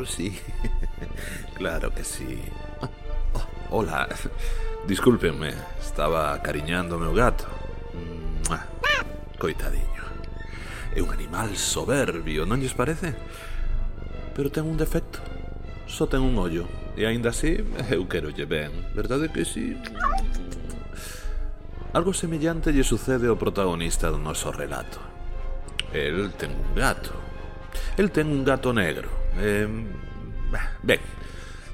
Sí, claro que sí. Hola, discúlpenme, estaba acariñando o meu gato. Coitadiño. É un animal soberbio, non lles parece? Pero ten un defecto. Só ten un ollo. E aínda así, eu querolle ben. Verdade que sí? Algo semellante lle sucede ao protagonista do noso relato. El ten un gato. El ten un gato negro. Ben,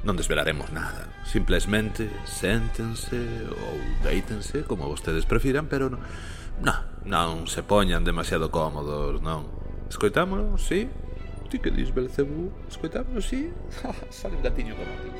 non desvelaremos nada. Simplesmente séntense ou deítense, como vostedes prefiran, pero non se poñan demasiado cómodos, non. Escoitámonos, sí? Ti que dis, Belcebú? Escoitámonos, sí? Sale un gatiño como ti.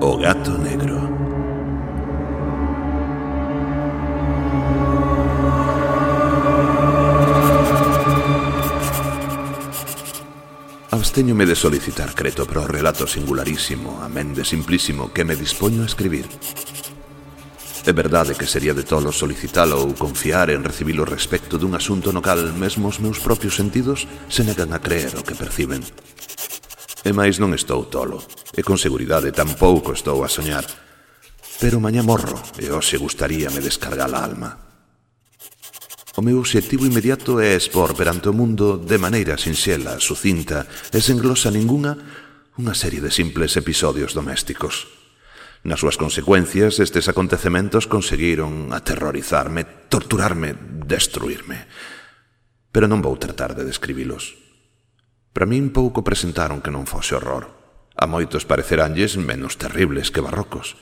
O gato negro. Abstéñome de solicitar creto para o relato singularísimo, amén de simplísimo, que me dispoño a escribir. É verdade que sería de tolo solicitalo ou confiar en recibilo respecto dun asunto no cal mesmo os meus propios sentidos se negan a creer o que perciben. E máis non estou tolo, e con seguridade tampouco estou a soñar. Pero mañá morro, e hoxe gustaríame descargar a alma. O meu obxectivo inmediato é expor perante o mundo de maneira sinxela, sucinta e sen glosa ningunha unha serie de simples episodios domésticos. Nas súas consecuencias, estes acontecementos conseguiron aterrorizarme, torturarme, destruirme. Pero non vou tratar de describilos. Para min pouco presentaron que non fose horror. A moitos pareceránlles menos terribles que barrocos.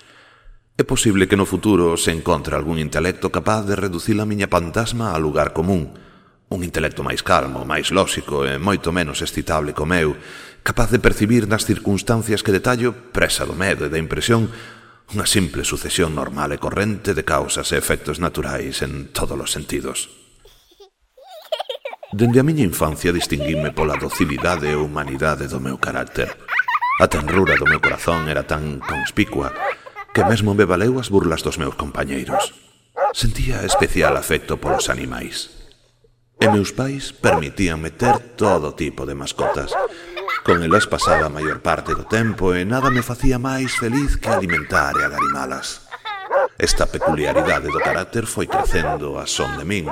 É posible que no futuro se encontre algún intelecto capaz de reducir a miña fantasma a lugar común. Un intelecto máis calmo, máis lóxico e moito menos excitable co meu, capaz de percibir nas circunstancias que detallo, presa do medo e da impresión, unha simple sucesión normal e corrente de causas e efectos naturais en todos os sentidos. Dende a miña infancia distinguíme pola docilidade e humanidade do meu carácter. A tenrura do meu corazón era tan conspicua que mesmo me valeu as burlas dos meus compañeiros. Sentía especial afecto polos animais. E meus pais permitíanme ter todo tipo de mascotas. Con elas pasaba a maior parte do tempo e nada me facía máis feliz que alimentar e agarimalas. Esta peculiaridade do carácter foi crecendo a son de min,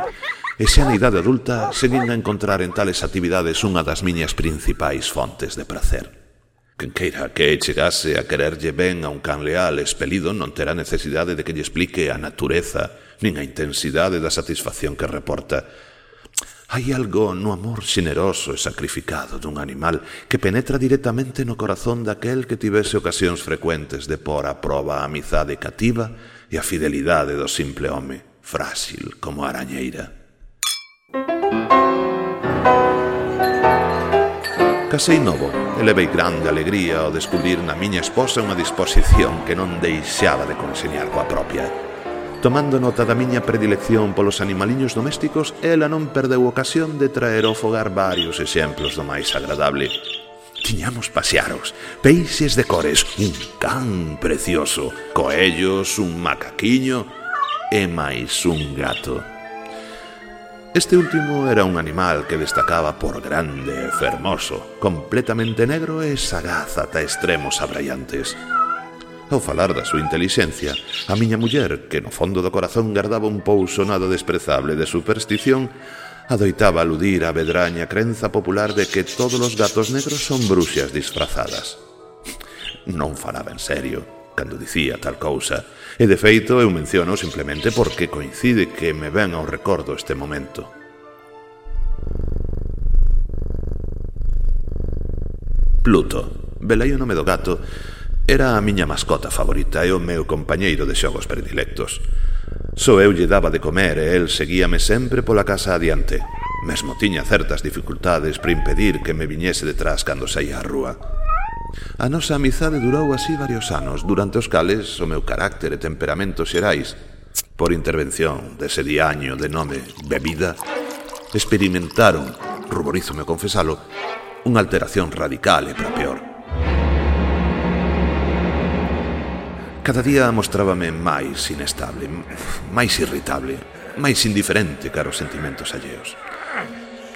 e xa na idade adulta seguín a encontrar en tales actividades unha das miñas principais fontes de prazer. Quen queira que chegase a quererlle ben a un can leal expelido non terá necesidade de que lle explique a natureza nin a intensidade da satisfacción que reporta. Hai algo no amor xeneroso e sacrificado dun animal que penetra directamente no corazón daquel que tivese ocasións frecuentes de pôr a proba a amizade cativa e a fidelidade do simple home, frágil como a arañeira. Casei novo e levei grande alegría ao descubrir na miña esposa unha disposición que non deixaba de conseñar coa propia. Tomando nota da miña predilección polos animaliños domésticos, ela non perdeu ocasión de traer ao fogar varios exemplos do máis agradable. Tiñamos pasearos, peixes de cores, un can precioso, coellos, un macaquiño e máis un gato. Este último era un animal que destacaba por grande e fermoso, completamente negro e sagaz ata extremos abraiantes. Ao falar da súa intelixencia, a miña muller, que no fondo do corazón gardaba un pouso nada desprezable de superstición, adoitaba aludir á vedraña crenza popular de que todos os gatos negros son bruxas disfrazadas. Non falaba en serio cando dicía tal cousa, e de feito eu menciono simplemente porque coincide que me ven ao recordo este momento. Pluto, velei o nome do gato, Era a miña mascota favorita e o meu compañeiro de xogos predilectos. Só eu lle daba de comer e el seguíame sempre pola casa adiante. Mesmo tiña certas dificultades para impedir que me viñese detrás cando saía á rúa. A nosa amizade durou así varios anos, durante os cales o meu carácter e temperamento xerais, por intervención dese diaño de nome bebida, experimentaron, ruborízome confesalo, unha alteración radical e para peor. Cada día mostrábame máis inestable, máis irritable, máis indiferente cara aos sentimentos alleos.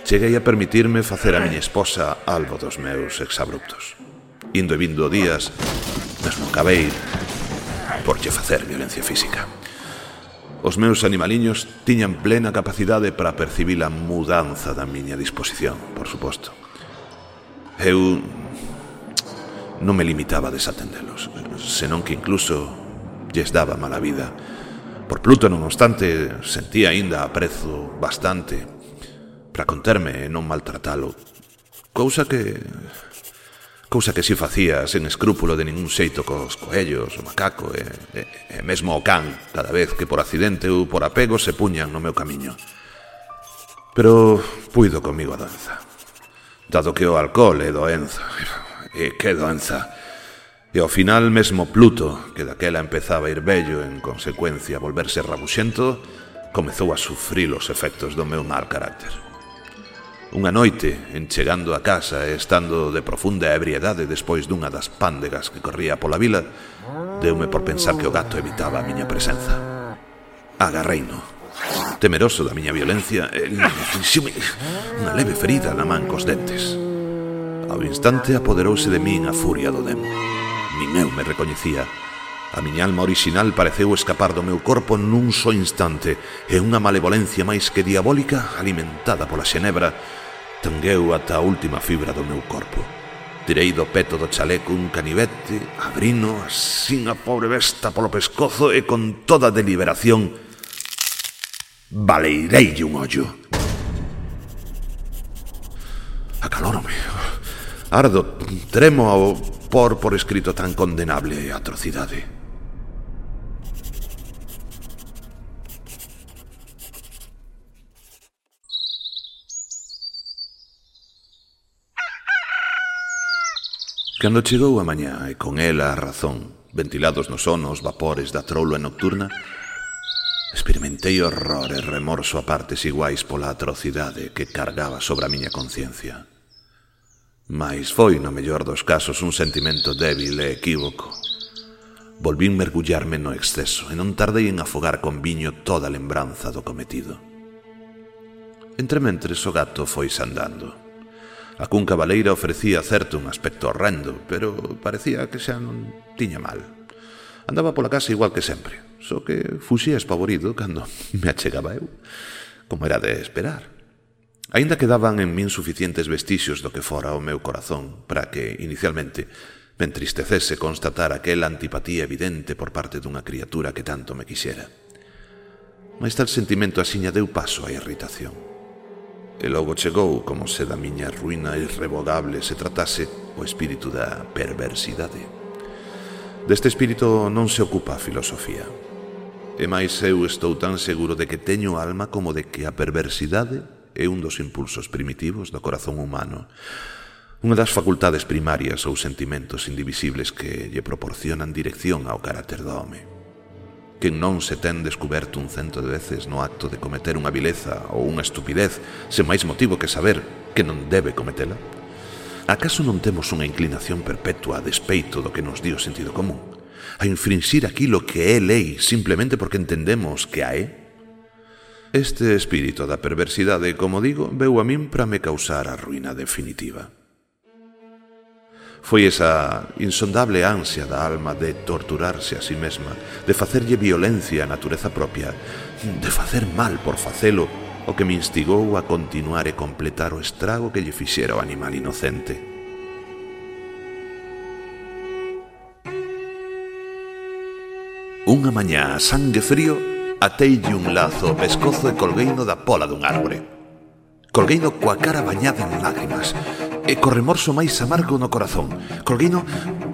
Cheguei a permitirme facer a miña esposa algo dos meus exabruptos. Indo e vindo días, mesmo acabei por lle facer violencia física. Os meus animaliños tiñan plena capacidade para percibir a mudanza da miña disposición, por suposto. Eu non me limitaba a desatendelos, senón que incluso lles daba mala vida. Por Pluto, non obstante, sentía aínda aprezo bastante para conterme e non maltratalo, cousa que si facía sen escrúpulo de ningún xeito cos coellos, o macaco e mesmo o can, cada vez que por accidente ou por apego se puñan no meu camiño. Pero puido comigo a doenza, dado que o alcohol é doenza. E que doenza! E ao final mesmo Pluto, que daquela empezaba a ir vello en consecuencia a volverse rabuxento, comezou a sufrir os efectos do meu mal carácter. Unha noite, en chegando a casa e estando de profunda ebriedade despois dunha das pándegas que corría pola vila, deume por pensar que o gato evitaba a miña presenza. Agarreino. Temeroso da miña violencia, el infixiume unha leve ferida na man cos dentes. Ao instante apoderouse de min a furia do demo. Nin eu me recoñecía. A miña alma orixinal pareceu escapar do meu corpo nun só instante e unha malevolencia máis que diabólica, alimentada pola xenebra, tangueu ata a última fibra do meu corpo. Tirei do peto do chaleco un canivete, abrino, asín a pobre besta polo pescozo e con toda deliberación baleireille un ollo. Acalórome. Ardo, tremo ao por escrito tan condenable atrocidade. Cando chegou a mañá e con ela a razón, ventilados no sono os vapores da troula nocturna, experimentei horror e remorso a partes iguais pola atrocidade que cargaba sobre a miña conciencia. Mais foi, no mellor dos casos, un sentimento débil e equívoco. Volvín mergullarme no exceso e non tardei en afogar con viño toda a lembranza do cometido. Entrementres o gato foise andando. A cunca baleira ofrecía certo un aspecto horrendo, pero parecía que xa non tiña mal. Andaba pola casa igual que sempre, só que fuxía espavorido cando me achegaba eu, como era de esperar. Aínda quedaban en min suficientes vestixios do que fora o meu corazón para que, inicialmente, me entristecese constatar aquela antipatía evidente por parte dunha criatura que tanto me quixera. Mais tal sentimento asiña deu paso á irritación. E logo chegou, como se da miña ruína irrevogable se tratase, o espírito da perversidade. Deste espírito non se ocupa a filosofía. E máis eu estou tan seguro de que teño alma como de que a perversidade é un dos impulsos primitivos do corazón humano, unha das facultades primarias ou sentimentos indivisibles que lle proporcionan dirección ao carácter do home. Quen non se ten descuberto 100 veces no acto de cometer unha vileza ou unha estupidez sen máis motivo que saber que non debe cometela? Acaso non temos unha inclinación perpetua a despeito do que nos di o sentido común? A infringir aquilo que é lei simplemente porque entendemos que a é? Este espírito da perversidade, como digo, veu a min para me causar a ruína definitiva. Foi esa insondable ansia da alma de torturarse a si mesma, de facerlle violencia á natureza propia, de facer mal por facelo, o que me instigou a continuar e completar o estrago que lle fixera o animal inocente. Unha mañá a sangue frío ateille un lazo ao pescozo e colgueino da pola dun árbore. Colgueino coa cara bañada en lágrimas e co remorso máis amargo no corazón. Colgueino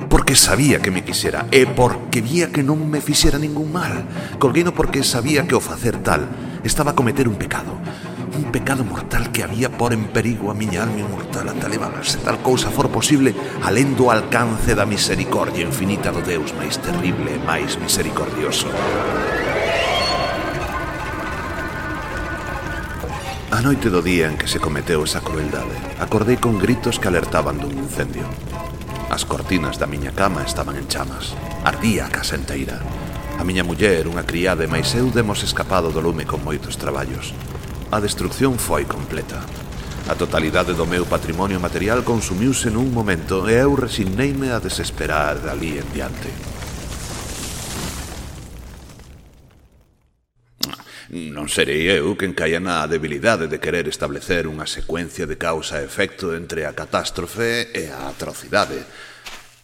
porque porque sabía que me quixera e porque vía que non me fixera ningún mal. Colgueino porque sabía que ao facer tal estaba a cometer un pecado mortal que había por en perigo a miña alma inmortal ata levarse tal cousa for posible alén do alcance da misericordia infinita do Deus máis terrible e máis misericordioso. A noite do día en que se cometeu esa crueldade, acordei con gritos que alertaban dun incendio. As cortinas da miña cama estaban en chamas. Ardía a casa enteira. A miña muller, unha criada e máis eu demos escapado do lume con moitos traballos. A destrucción foi completa. A totalidade do meu patrimonio material consumiuse nun momento e eu resigneime a desesperar dali en diante. Non serei eu quen caia na debilidade de querer establecer unha secuencia de causa e efecto entre a catástrofe e a atrocidade.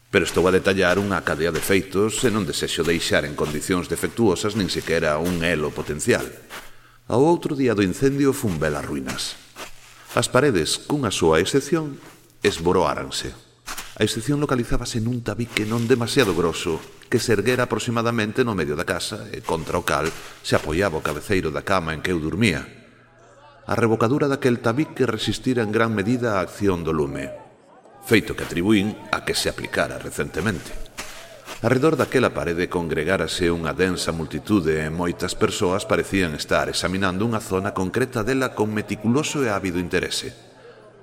Pero estou a detallar unha cadea de feitos e non desexo deixar en condicións defectuosas nin sequera un elo potencial. Ao outro día do incendio fun ver as ruínas. As paredes, cunha súa excepción, esboroáranse. A excepción localizábase nun tabique non demasiado grosso que se erguera aproximadamente no medio da casa e contra o cal se apoiaba o cabeceiro da cama en que eu dormía. A revocadura daquel tabique resistira en gran medida a acción do lume, feito que atribuín a que se aplicara recentemente. Arredor daquela parede congregárase unha densa multitude e moitas persoas parecían estar examinando unha zona concreta dela con meticuloso e ávido interese.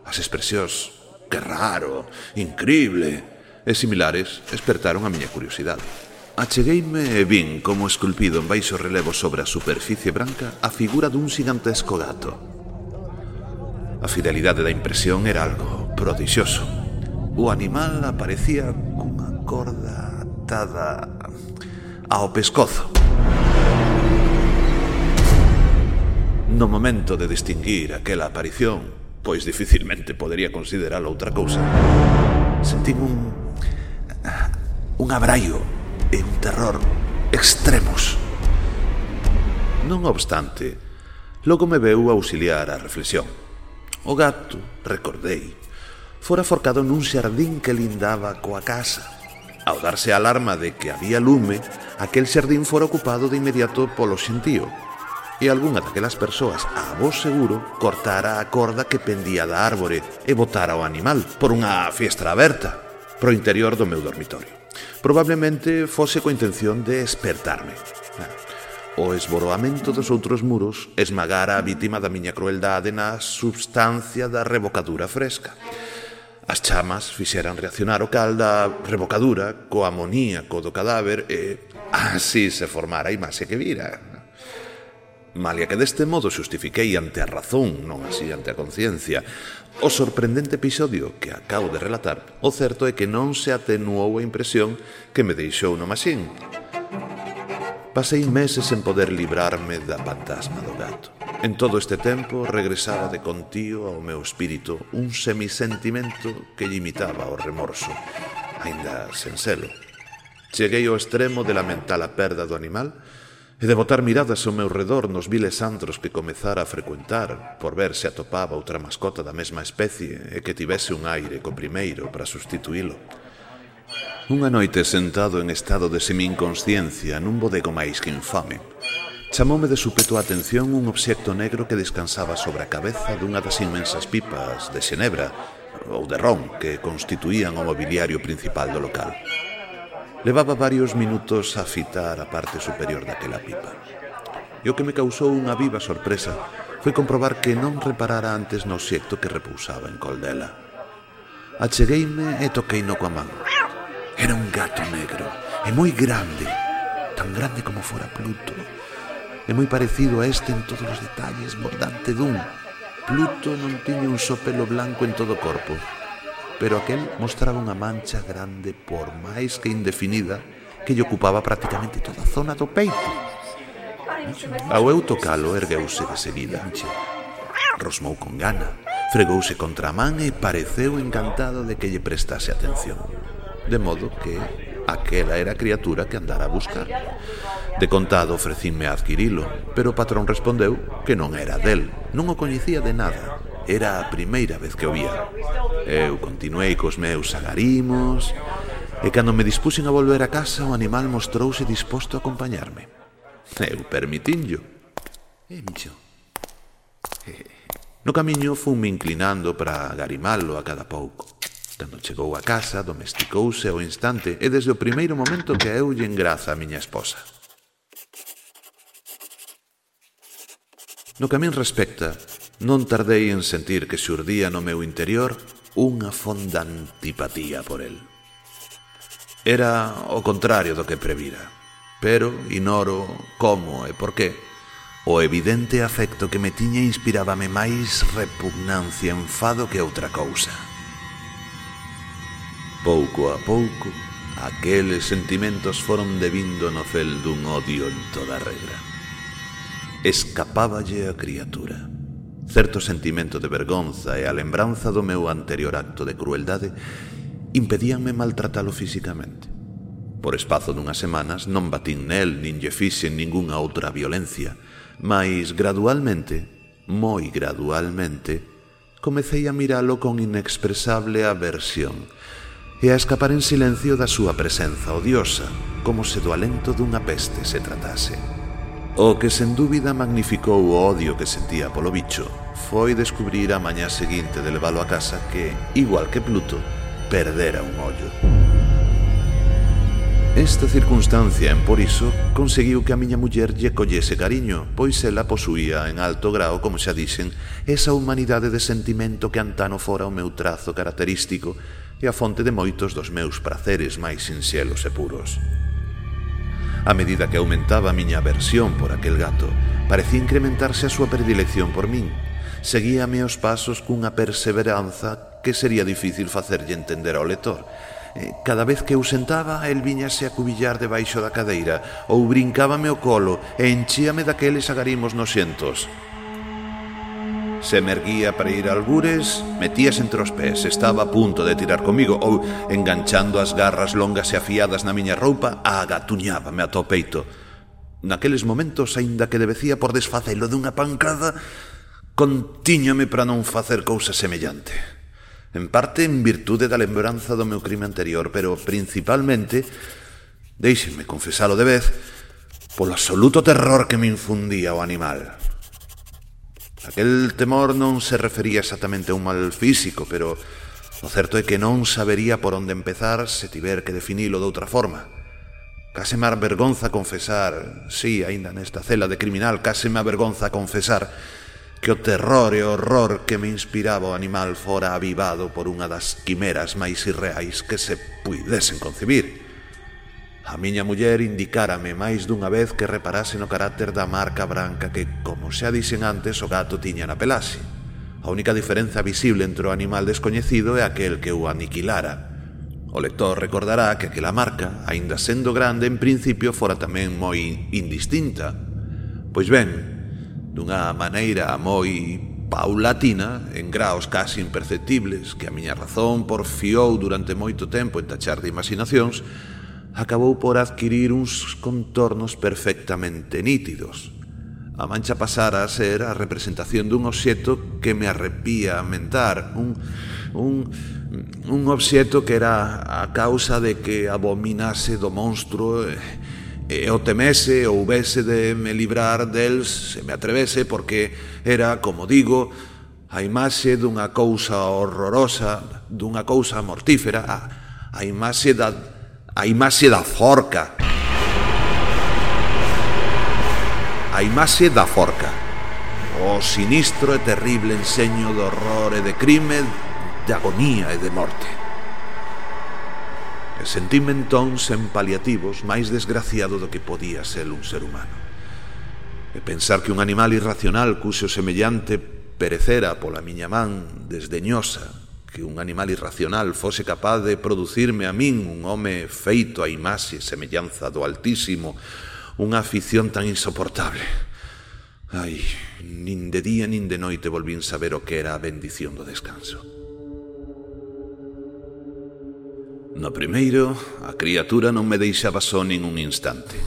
As expresións "que raro", "incrible" e similares espertaron a miña curiosidade. Achegueime e vin como esculpido en baixo relevo sobre a superficie branca a figura dun xigantesco gato. A fidelidade da impresión era algo prodixioso. O animal aparecía cunha corda atada ao pescozo. No momento de distinguir aquela aparición, pois dificilmente podería consideralo outra cousa, sentín un abraio e un terror extremos. Non obstante, logo me veu auxiliar a reflexión. O gato, recordei, fora forcado nun xardín que lindaba coa casa. Ao darse a alarma de que había lume, aquel xardín fora ocupado de inmediato polo xentío, e algunha daquelas persoas, a vos seguro, cortara a corda que pendía da árbore e botara o animal por unha fiestra aberta pro interior do meu dormitorio. Probablemente fose coa intención de espertarme. O esboroamento dos outros muros esmagara a vítima da miña crueldade na substancia da revocadura fresca. As chamas fixeran reaccionar o cal da revocadura co amoníaco do cadáver e así se formara a imaxe que vira. Malia que deste modo xustifiquei ante a razón, non así ante a conciencia, o sorprendente episodio que acabo de relatar, o certo é que non se atenuou a impresión que me deixou no maxín. Pasei meses en poder librarme da fantasma do gato. En todo este tempo regresaba de contío ao meu espírito un semisentimento que lle imitaba o remorso, aínda sen selo. Cheguei ao extremo de lamentar a perda do animal e de botar miradas ao meu redor nos viles antros que comezara a frecuentar por ver se atopaba outra mascota da mesma especie e que tivese un aire co primeiro para sustituílo. Unha noite sentado en estado de semi-inconsciencia nun bodego máis que infame, chamoume de súpeto a atención un obxecto negro que descansaba sobre a cabeza dunha das inmensas pipas de xenebra ou de ron que constituían o mobiliario principal do local. Levaba varios minutos a fitar a parte superior daquela pipa. E o que me causou unha viva sorpresa foi comprobar que non reparara antes no obxecto que repousaba en col dela. Achegueime e toqueino coa man. Era un gato negro e moi grande, tan grande como fora Pluto, e moi parecido a este en todos os detalles, bordante dun. Pluto non tiña un só pelo blanco en todo o corpo, pero aquel mostraba unha mancha grande por máis que indefinida que lle ocupaba prácticamente toda a zona do peito. Ao eu tocalo, ergueuse de seguida. Rosmou con gana, fregouse contra a man e pareceu encantado de que lle prestase atención. De modo que aquela era a criatura que andara a buscar. De contado ofrecíme a adquirilo, pero o patrón respondeu que non era del, non o coñecía de nada. Era a primeira vez que o vía. Eu continuei cos meus agarimos E cando me dispuxen a volver a casa, o animal mostrouse disposto a acompañarme. Eu permitinllo. Micho. No camiño funme inclinando para agarimalo a cada pouco. Cando chegou a casa, domesticouse ao instante e desde o primeiro momento que eu-lle engraza a miña esposa. No que a min respecta, non tardei en sentir que xurdía no meu interior unha fonda antipatía por el. Era o contrario do que previra, pero ignoro como e por qué. O evidente afecto que me tiña inspirábame máis repugnancia e enfado que outra cousa. Pouco a pouco, aqueles sentimentos foron devindo no fel dun odio en toda regra. Escapáballe a criatura. Certo sentimento de vergonza e a lembranza do meu anterior acto de crueldade impedíanme maltratalo físicamente. Por espazo dunhas semanas non batín nel nin lle fixen ningunha outra violencia, mais gradualmente, moi gradualmente, comecei a miralo con inexpresable aversión e a escapar en silencio da súa presenza odiosa, como se do alento dunha peste se tratase. O que sen dúbida magnificou o odio que sentía polo bicho foi descubrir a mañá seguinte de leválo a casa que, igual que Pluto, perdera un ollo. Esta circunstancia, emporiso, conseguiu que a miña muller lle collese cariño, pois ela posuía en alto grao, como xa dixen, esa humanidade de sentimento que antano fora o meu trazo característico e a fonte de moitos dos meus praceres máis sinxelos e puros. A medida que aumentaba a miña aversión por aquel gato, parecía incrementarse a súa predilección por min. Seguíame os pasos cunha perseveranza que sería difícil facerlle entender ao lector. Cada vez que eu sentaba, el viñase a cubillar debaixo da cadeira ou brincábame o colo e enchíame daqueles agarimos noxentos. Se me erguía para ir a algures, metías entre os pés, estaba a punto de tirar comigo ou, enganchando as garras longas e afiadas na miña roupa, agatuñábame ata o peito. Naqueles momentos, aínda que debecía por desfacelo dunha pancada, contíñame para non facer cousa semellante. En parte en virtude da lembranza do meu crime anterior, pero principalmente, déixenme confesalo de vez, polo absoluto terror que me infundía o animal. Aquel temor non se refería exactamente a un mal físico, pero o certo é que non sabería por onde empezar se tiver que definilo de outra forma. Case me avergonza confesar, sí, aínda nesta cela de criminal, case me avergonza confesar que o terror e o horror que me inspiraba o animal fora avivado por unha das quimeras máis irreais que se puidesen concebir. A miña muller indicárame máis dunha vez que reparase no carácter da marca branca que, como xa dixen antes, o gato tiña na pelaxe. A única diferenza visible entre o animal descoñecido é aquel que o aniquilara. O lector recordará que aquela marca, aínda sendo grande, en principio fora tamén moi indistinta. Pois ben, dunha maneira moi paulatina, en graos casi imperceptibles, que a miña razón porfiou durante moito tempo en tachar de imaginacións, acabou por adquirir uns contornos perfectamente nítidos. A mancha pasara a ser a representación dun obxecto que me arrepía a mentar, un obxecto que era a causa de que abominase do monstruo e o temese ou houvese de me librar del se me atrevese, porque era, como digo, a imaxe dunha cousa horrorosa, dunha cousa mortífera, a imaxe da forca. A imaxe da forca. O sinistro e terrible enseño do horror e de crime, de agonía e de morte. E sentíme entón sen paliativos máis desgraciado do que podía ser un ser humano. E pensar que un animal irracional cuxo semellante perecera pola miña man desdeñosa, que un animal irracional fose capaz de producirme a min, un home feito a imaxe e semellanza do Altísimo, unha afición tan insoportable. Ai, nin de día nin de noite volvín saber o que era a bendición do descanso. No primeiro, a criatura non me deixaba só nin un instante.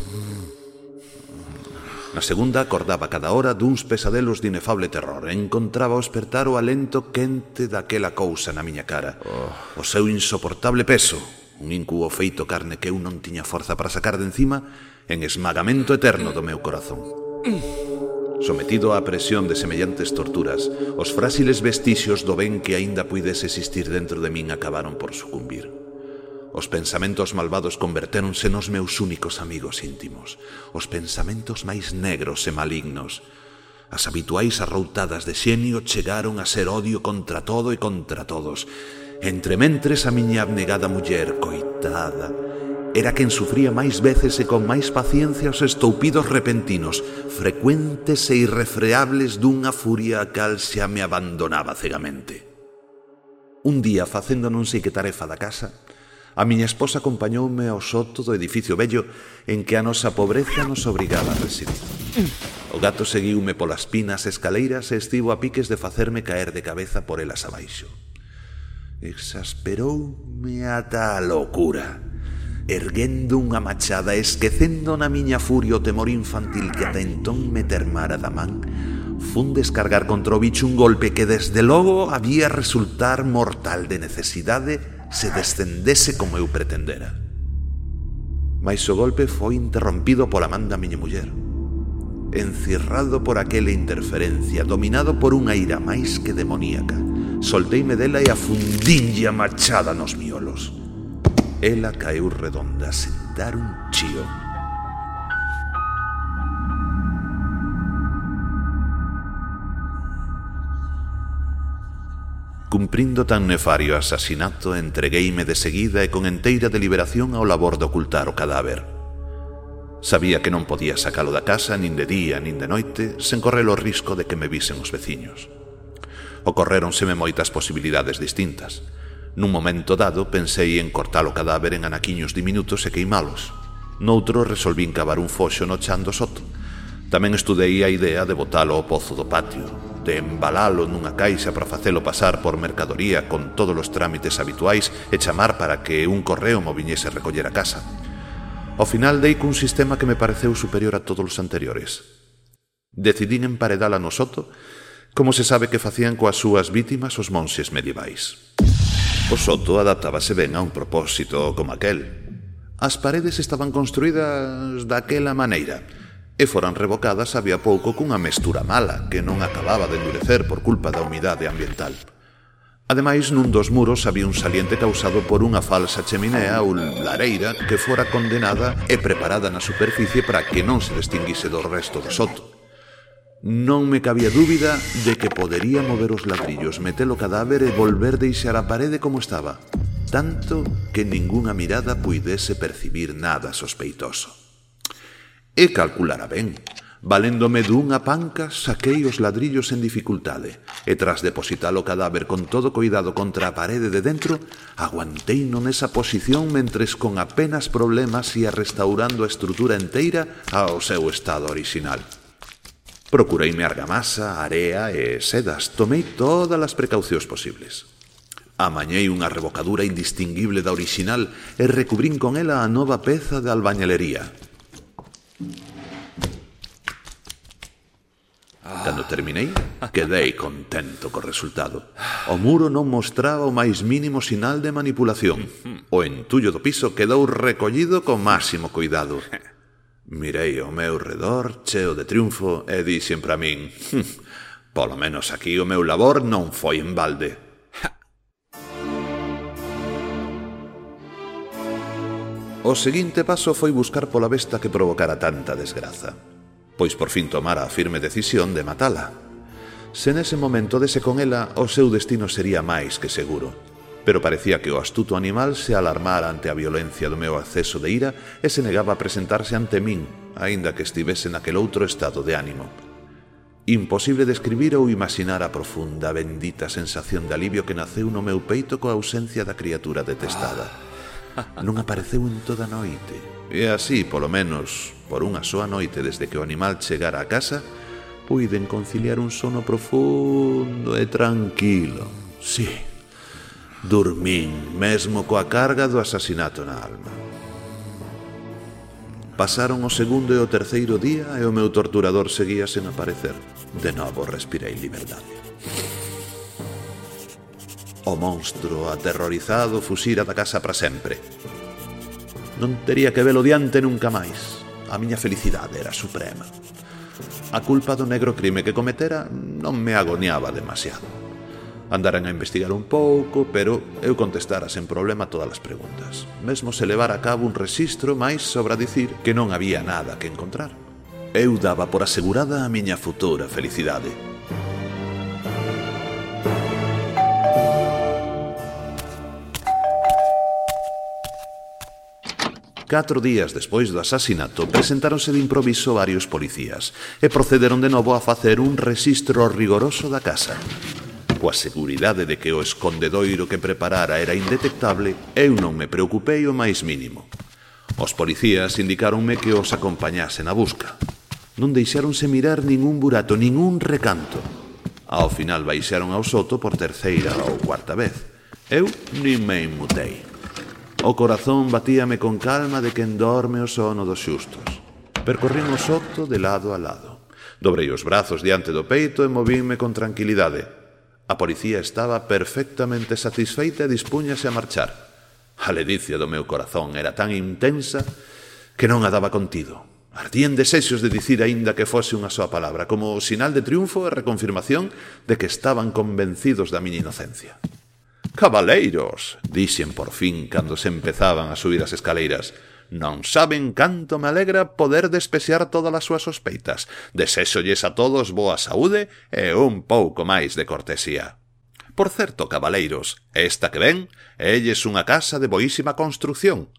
Na segunda, acordaba cada hora duns pesadelos de inefable terror e encontraba ao espertar o alento quente daquela cousa na miña cara, o seu insoportable peso, un incubo feito carne que eu non tiña forza para sacar de encima, en esmagamento eterno do meu corazón. Sometido á presión de semellantes torturas, os fráxiles vestixios do ben que aínda puidese existir dentro de min acabaron por sucumbir. Os pensamentos malvados convertéronse nos meus únicos amigos íntimos, os pensamentos máis negros e malignos. As habituais arroutadas de xenio chegaron a ser odio contra todo e contra todos. Entrementres a miña abnegada muller, coitada, era quen sufría máis veces e con máis paciencia os estoupidos repentinos, frecuentes e irrefreables dunha furia a cal xa me abandonaba cegamente. Un día, facendo non sei que tarefa da casa, a miña esposa acompañoume ao soto do edificio vello en que a nosa pobreza nos obrigaba a residir. O gato seguiume polas pinas escaleiras e estivo a piques de facerme caer de cabeza por elas abaixo. Exasperoume ata a locura. Erguendo unha machada, esquecendo na miña furia o temor infantil que ata entón me termara da man, fun descargar contra o bicho un golpe que desde logo había resultar mortal de necesidade se descendese como eu pretendera. Mais o golpe foi interrompido pola man da miña muller. Encirrado por aquela interferencia, dominado por unha ira máis que demoníaca, solteime dela e afundinlle a machada nos miolos. Ela caeu redonda sen dar un chío. Cumprindo tan nefario asasinato, entregueime de seguida e con enteira deliberación ao labor de ocultar o cadáver. Sabía que non podía sacalo da casa nin de día nin de noite sen correr o risco de que me visen os veciños. Ocorréronseme moitas posibilidades distintas. Nun momento dado pensei en cortar o cadáver en anaquiños diminutos e queimalos. Noutro resolvín cavar un foxo no chan do soto. Tamén estudei a idea de botalo ao pozo do patio, de embalalo nunha caixa para facelo pasar por mercadoría con todos os trámites habituais e chamar para que un correo mo viñese a recoller a casa. Ao final dei cun sistema que me pareceu superior a todos os anteriores. Decidín emparedala no soto, como se sabe que facían coas súas vítimas os monxes medievais. O soto adaptábase ben a un propósito como aquel. As paredes estaban construídas daquela maneira e foran revocadas había pouco cunha mestura mala que non acababa de endurecer por culpa da humidade ambiental. Ademais, nun dos muros había un saliente causado por unha falsa cheminea ou lareira que fora condenada e preparada na superficie para que non se distinguise do resto do soto. Non me cabía dúbida de que podería mover os ladrillos, meter o cadáver e volver deixar a parede como estaba, tanto que ningunha mirada puidese percibir nada sospeitoso. E calculara ben. Valéndome dunha panca, saquei os ladrillos en dificultade e tras depositar o cadáver con todo cuidado contra a parede de dentro, aguanteino nesa posición mentres con apenas problemas ia restaurando a estrutura enteira ao seu estado original. Procureime argamasa, area e sedas. Tomei todas as precaucións posibles. Amañei unha revocadura indistinguible da original e recubrín con ela a nova peza de albañalería. Cando terminei, quedei contento co resultado. O muro non mostraba o máis mínimo sinal de manipulación. O entullo do piso quedou recollido con máximo cuidado. Mirei ao meu redor, cheo de triunfo, e dixen para min: polo menos aquí o meu labor non foi en balde. O seguinte paso foi buscar pola besta que provocara tanta desgraza, pois por fin tomara a firme decisión de matala. Se nese momento dese con ela, o seu destino sería máis que seguro. Pero parecía que o astuto animal se alarmara ante a violencia do meu acceso de ira e se negaba a presentarse ante min, aínda que estivese naquel outro estado de ánimo. Imposible describir ou imaginar a profunda, bendita sensación de alivio que naceu no meu peito coa ausencia da criatura detestada. Non apareceu en toda a noite, e así, polo menos, por unha soa noite desde que o animal chegara a casa, puiden conciliar un sono profundo e tranquilo. Sí, dormín mesmo coa carga do asasinato na alma. Pasaron o segundo e o terceiro día e o meu torturador seguía sen aparecer. De novo respirei liberdade. O monstro aterrorizado fuxira da casa para sempre. Non tería que velo diante nunca máis. A miña felicidade era suprema. A culpa do negro crime que cometera non me agoniaba demasiado. Andaran a investigar un pouco, pero eu contestara sen problema todas as preguntas. Mesmo se levara a cabo un rexistro máis sobra dicir que non había nada que encontrar. Eu daba por asegurada a miña futura felicidade. Catro días despois do asasinato, presentáronse de improviso varios policías e procederon de novo a facer un rexistro rigoroso da casa. Coa seguridade de que o escondedoiro que preparara era indetectable, eu non me preocupei o máis mínimo. Os policías indicáronme que os acompañase na busca. Non deixáronse mirar ningún burato, ningún recanto. Ao final baixaron ao soto por terceira ou cuarta vez. Eu nin me inmutei. O corazón batíame con calma de quen dorme o sono dos xustos. Percorrín o soto de lado a lado. Dobrei os brazos diante do peito e movínme con tranquilidade. A policía estaba perfectamente satisfeita e dispúñase a marchar. A ledicia do meu corazón era tan intensa que non a daba contido. Ardían desexos de dicir aínda que fose unha soa palabra, como sinal de triunfo e reconfirmación de que estaban convencidos da miña inocencia. «Cabaleiros», dixen por fin cando se empezaban a subir as escaleiras, «non saben canto me alegra poder despexar todas as súas sospeitas. Desexolles a todos boa saúde e un pouco máis de cortesía. Por certo, cabaleiros, esta que ven, elles unha casa de boísima construción».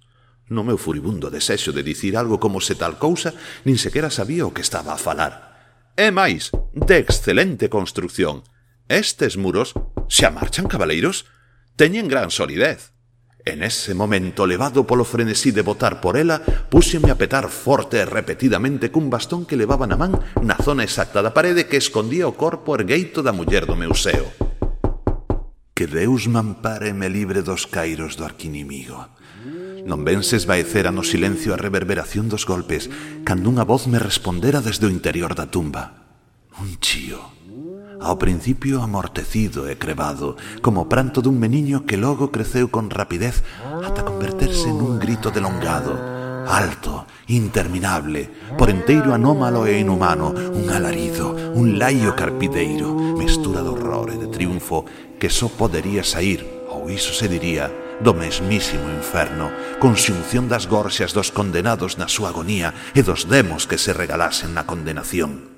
No meu furibundo desexo de dicir algo como se tal cousa, nin sequera sabía o que estaba a falar. «É máis, de excelente construción. Estes muros xa marchan, cabaleiros? Teñen gran solidez». En ese momento, levado polo frenesí de botar por ela, púxeme a petar forte e repetidamente cun bastón que levaba na man na zona exacta da parede que escondía o corpo ergueito da muller do meu seo. Que Deus me ampare e me libre dos cairos do arquinimigo. Non venses vaecera no silencio a reverberación dos golpes cando unha voz me respondera desde o interior da tumba. Un chío. Ao principio amortecido e crevado, como o pranto dun meniño que logo creceu con rapidez ata converterse nun grito delongado, alto, interminable, por enteiro anómalo e inhumano, un alarido, un laio carpideiro, mestura de horror e de triunfo que só podería saír, ou iso se diría, do mesmísimo inferno, conxunción das gorxas dos condenados na súa agonía e dos demos que se regalasen na condenación.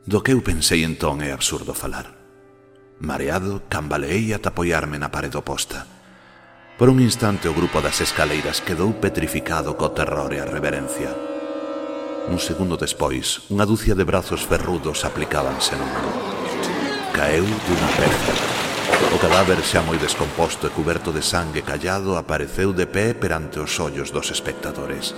Do que eu pensei entón é absurdo falar. Mareado, cambaleei ata apoiarme na parede oposta. Por un instante o grupo das escaleiras quedou petrificado co terror e a reverencia. Un segundo despois, unha dúcia de brazos ferrudos aplicábanse no meu. Caeu dunha peza. O cadáver xa moi descomposto e cuberto de sangue callado apareceu de pé perante os ollos dos espectadores.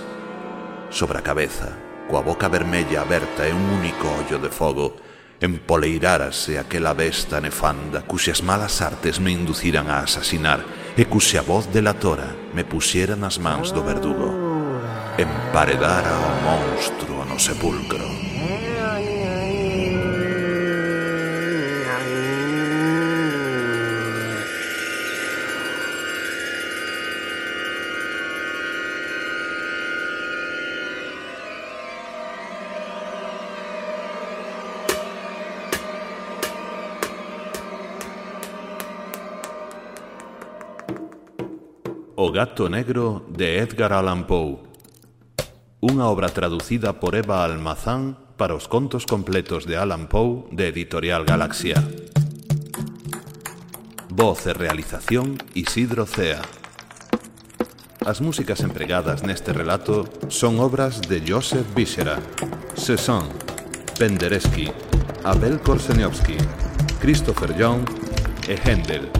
Sobre a cabeza, coa boca vermella aberta e un único ollo de fogo, empoleirárase aquela besta nefanda cuxas malas artes me induciran a asasinar e cuxa voz delatora me puxera nas mans do verdugo. Emparedara o monstruo no sepulcro. O gato negro de Edgar Allan Poe. Unha obra traducida por Eva Almazán para os contos completos de Allan Poe de Editorial Galaxia. Voz e realización Isidro Cea. As músicas empregadas neste relato son obras de Joseph Bichera, Cézanne, Penderecki, Abel Korzeniowski, Christopher Young e Händel.